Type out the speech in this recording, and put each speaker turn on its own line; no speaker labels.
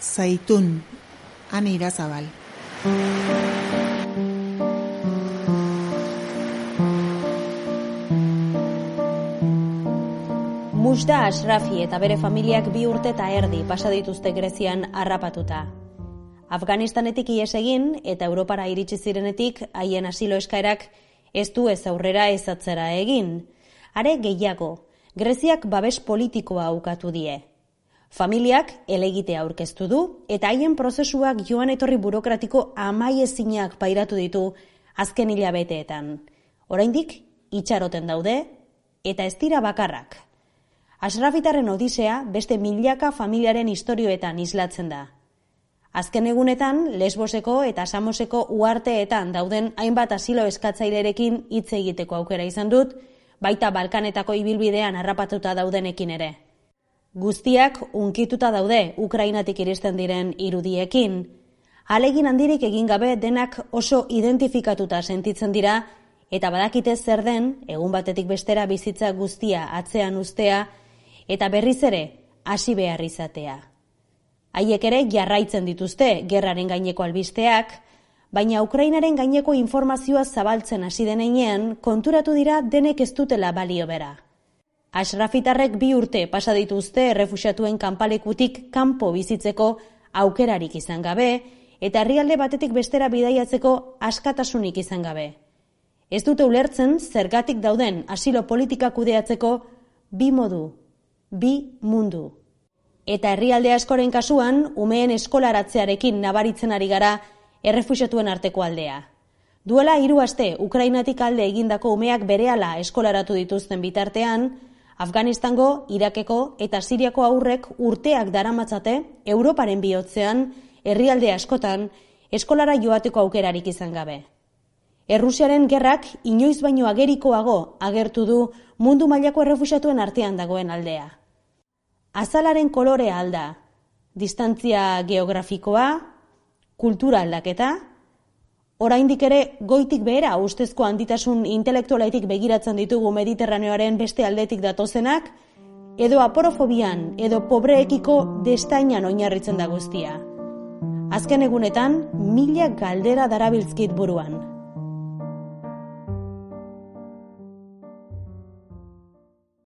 Zaitun, Ane Irazabal.
Mujda Ashrafi eta bere familiak 2 urte eta erdi pasa dituzte Grezian harrapatuta. Afganistanetik ihes egin eta Europara iritsi zirenetik haien asilo eskaerak ez du ez aurrera ez atzera egin. Are gehiago, Greziak babes politikoa ukatu die. Familiak helegitea aurkeztu du eta haien prozesuak joan etorri burokratiko amaiezinak pairatu ditu azken hilabeteetan. Oraindik itxaroten daude eta ez dira bakarrak. Ashrafitaren odisea beste milaka familiaren istorioetan islatzen da. Azken egunetan, Lesboseko eta Samoseko uharteetan dauden hainbat asilo eskatzailerekin hitz egiteko aukera izan dut, baita Balkanetako ibilbidean harrapatuta daudenekin ere. Guztiak unkituta daude Ukrainatik iristen diren irudiekin. Ahalegin handirik egin gabe denak oso identifikatuta sentitzen dira eta badakite zer den egun batetik bestera bizitza guztia atzean uztea eta berriz ere hasi behar izatea. Haiek ere jarraitzen dituzte gerraren gaineko albisteak, baina Ukrainaren gaineko informazioa zabaltzen hasi denean konturatu dira denek ez dutela balio bera. Ashrafitarrek 2 urte pasa dituzte errefuxiatuen kanpalekutik kanpo bizitzeko aukerarik izan gabe eta herrialde batetik bestera bidaiatzeko askatasunik izan gabe. Ez dute ulertzen zergatik dauden asilo politika kudeatzeko 2 modu, 2 mundu. Eta herrialde askoren kasuan, umeen eskolaratzearekin nabaritzen ari gara errefuxiatuen arteko aldea. Duela 3 aste Ukrainatik alde egindako umeak berehala eskolaratu dituzten bitartean, Afganistango, Irakeko eta Siriako haurrek urteak daramatzate Europaren bihotzean, herrialde askotan, eskolara joateko aukerarik izan gabe. Errusiaren gerrak inoiz baino agerikoago agertu du mundu mailako errefuxiatuen artean dagoen aldea. Azalaren kolorea alda, distantzia geografikoa, kultura aldaketa, oraindik ere goitik behera ustezko handitasun intelektualetik begiratzen ditugu Mediterraneoaren beste aldetik datozenak, edo aporofobian edo pobreekiko destainan oinarritzen da guztia. Azken egunetan, 1000 galdera darabiltzkit buruan.